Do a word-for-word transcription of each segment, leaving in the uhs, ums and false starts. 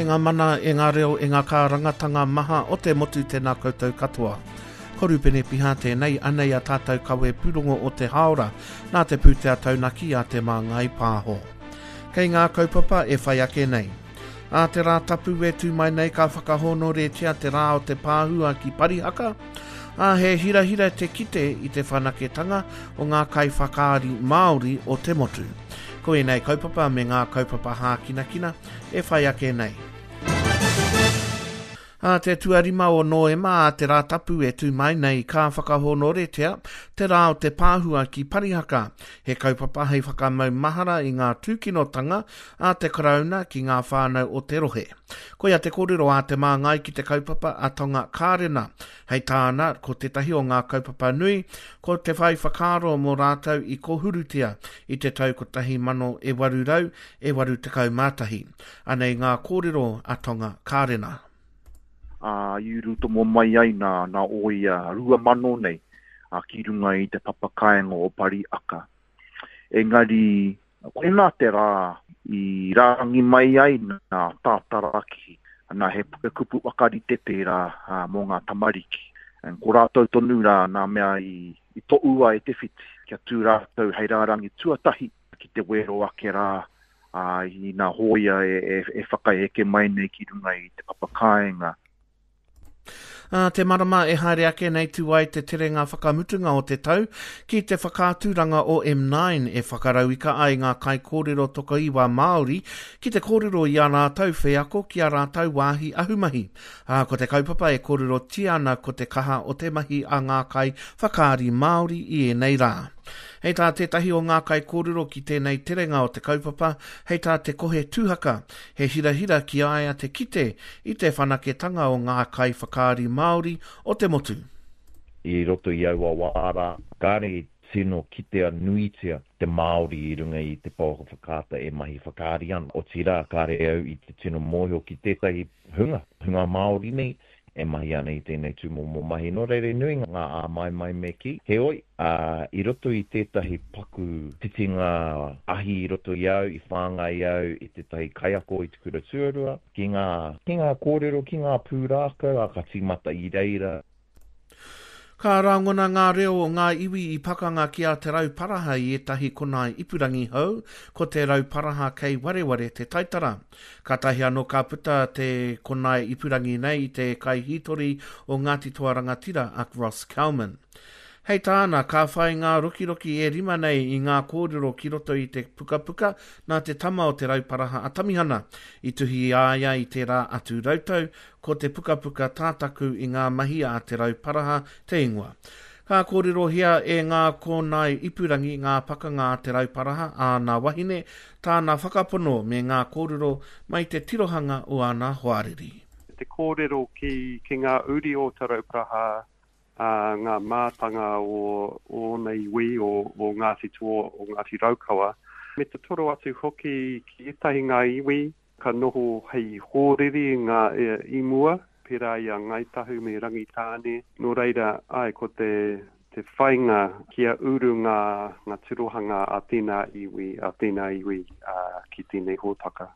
ngā mana, e ngā reo, e ngā kārangatanga maha o te motu tēnā koutou katoa. Ko Rupene Piha tēnei, anei a tātou kawe pūrongo o te haora, nā te pūtea taunaki a Te Māngai Pāho. Kei ngā kaupapa e whai ake nei. Ā te rā tapu e tū mai nei ka whakahōnoretia te rā o te pāhua ki Parihaka, ā, he hirahira te kite i te whanaketanga o ngā kaiwhakaari Māori o te motu. Ko ēnei kaupapa me ngā kaupapa hākinakina e whai ake nei. Ā te tuarima o Noema a te rā tapu e tū mai nei ka whakahōnoretia te rā o te pāhua ki Parihaka, he kaupapa hei whakamau mahara i ngā tūkinotanga a te Karauna ki ngā whānau o te rohe. Koia te kōrero a te māngai ki te kaupapa a Tonga Kārena. Hei tāna, ko tētahi o ngā kaupapa nui, ko te whai whakaaro mō rātou i kōhurutia i te tau kotahi mano e waru rau e waru tekau mā tahi. Anei ngā kōrero a Tonga Kārena. Ā, i urutomo mai ai nā, nā oia rua mano nei a, ki runga i te papakaenga o Pariaka. Engari, koinā te rā i rārangi mai ai nā tātaraki, nā he kupu whakarite tērā ā, mō ngā tamariki. And ko rātou tonu rā nā mea i, i toʻua e te whiti, kia tū rātou hei rārangi tuatahi ki te wero ake rā ā, i nā hōia e, e, e whakaeke mai nei ki runga i te papakaenga. Ā te marama e haere ake nei tū ai te terenga whakamutunga o te tau ki te whakaaturanga o M nine e whakarauika ai ngā kaikōrero tokoiwa Māori ki te kōrero i a rātou wheako ki a rātou wāhi ahumahi. Ā, ko te kaupapa e kōrerotia ana ko te kaha o te mahi a ngā kai whakaari Māori i ēnei rā. Hei tā tētahi o ngā kaikōrero ki tēnei terenga o te kaupapa, hei tā te Kohe Tūhaka, he hirahira ki a ia te kite i te whanaketanga o ngā kai whakaari Māori o te motu. I roto i aua wā rā, kāre i tino kitea nuitia te Māori i runga i te pouaka whakaata e mahi whakaari ana. Otirā, kāre au i te tino mōhio ki tētahi hunga, hunga Māori nei, e mahi ana i tēnei tūmomo mahi. Nō reira, nui ngā āmaimai me kī. Heoi, ā, i roto i tētahi paku titinga ahi i roto i au, i whāngai au i tētahi kaiako i te kura tuarua, ki ngā, ki ngā kōrero, ki ngā pūrākau, ā, ka tīmata i reira. Ka rangona ngā reo o ngā iwi i pakanga ki a Te Rauparaha i ētahi konae ipurangi hou, ko Te Rauparaha kei wareware te taitara. Kātahi anō ka puta te konae ipurangi nei i te kaihītori o Ngāti Toa Rangatira a Ross Calman. Hei tāna, ka whai ngā rokiroki e rima nei i ngā kōrero ki roto i te pukapuka nā te tama o Te Rauparaha a Tamihana. I tuhi i a ia i tērā atu rautau, ko te pukapuka tātaku i ngā mahi a Te Rauparaha te ingoa. Ka kōrerohia e ngā kōnae ipurangi ngā pakanga a Te Rauparaha, āna wahine, tāna whakapono me ngā kōrero mai te tirohanga o āna hoariri. Te kōrero ki, ki ngā uri o Te Rauparaha, ā, ngā mātanga o, o ōna iwi, o, o Ngāti Toa, o Ngāti Raukawa. Me te toro atu hoki ki ētahi ngā iwi ka noho hei hōriri ngā e, i mua, pērā i a Ngāi Tahu me Rangitāne. Nō reira, ai, ko te, te whainga kia uru ngā, ngā tirohanga a tēnā iwi, a tēnā iwi a, ki tēnei hōtaka.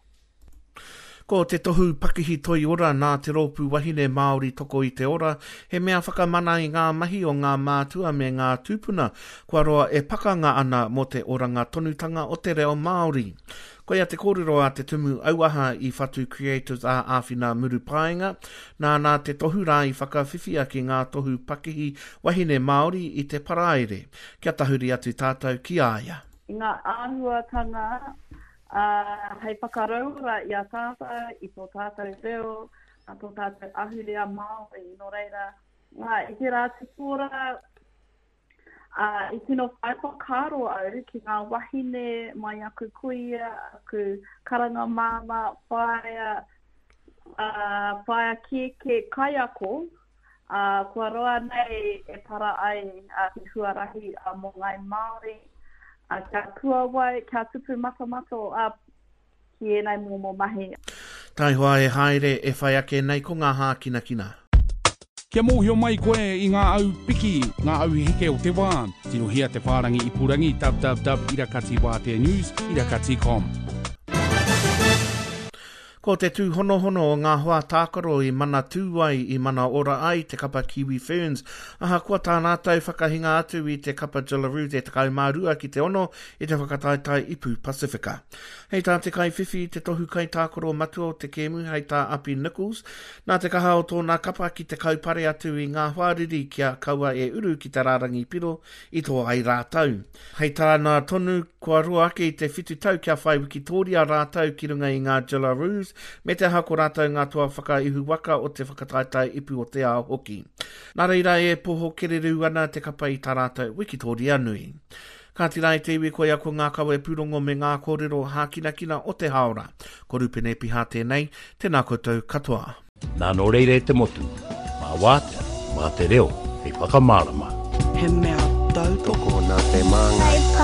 Ko te tohu pakihi toi ora nā te rōpū wahine Māori toko i te ora, he mea whakamana i ngā mahi o ngā mātua me ngā tūpuna, kua roa e pakanga ana mō te oranga tonutanga o te reo Māori. Koia te kōrero a te tumu auaha i Whatu Creatives a Āwhina Murupaenga, nāna te tohu rā i whakawhiwhia ki ngā tohu pakihi wahine Māori i te paraire. Kia tahuri atu tātou ki a ia. I ngā āhuatanga Uh, hei whakarauora i a tātou, i tō tātou reo, a tō tātou ahurea Māori. Nō reira, uh, i te rā te pōra, uh, i tino whai whakaaro au ki ngā wahine mai aku kuia, aku karanga māmā, whaea, uh, whaea kēkē kaiako, uh, kua roa nei e para ai uh, te huarahi uh, mō ngai Māori, Uh, kia puawai, kia tupu matomato uh, ki ēnei momo mahi. Taihoa e haere e whai ake nei ko ngā hākinakina. Kia mōhio mai koe i ngā au piki, ngā au heke o te wā. Tirohia te whārangi ipurangi www irakati wātea news irakati com. Ko te tūhonohono o ngā hoa tākaro i mana tū ai, i mana ora ai te kapa Kiwi Ferns. Ahakoa tā rātou whakahinga atu i te kapa Jillaroos e tekau mā rua ki te ono i te whakataetae Ipu Pasifika. Hei tā te kaiwhiwhi i te tohu kaitākaro matua o te kēmu hei tā Api Nicholls, nā te kaha o tōna kapa ki te kaupare atu i ngā hoariri kia kaua e uru ki te rārangi piro i toa ai rātou. Hei tāna tonu kua roa ake i te whitu tau kia whai wikitōria rātou ki runga i ngā Jillaroos, me te aha ko rātou ngā toa whakaihu waka o te whakataetae ipu o te ao hoki. Nā reira e poho kererū ana te kapa i tā rātou wikitōria nui. Kāti rā e te iwi koia ko ngā kawe pūrongo me ngā kōrero hākinakina o te haora. Ko Rupene Piha tēnei, tēnā koutou katoa. Nā nō reira e te motu, mā wātea, mā te reo, hei whakamārama. He mea tautoko nā te māngai.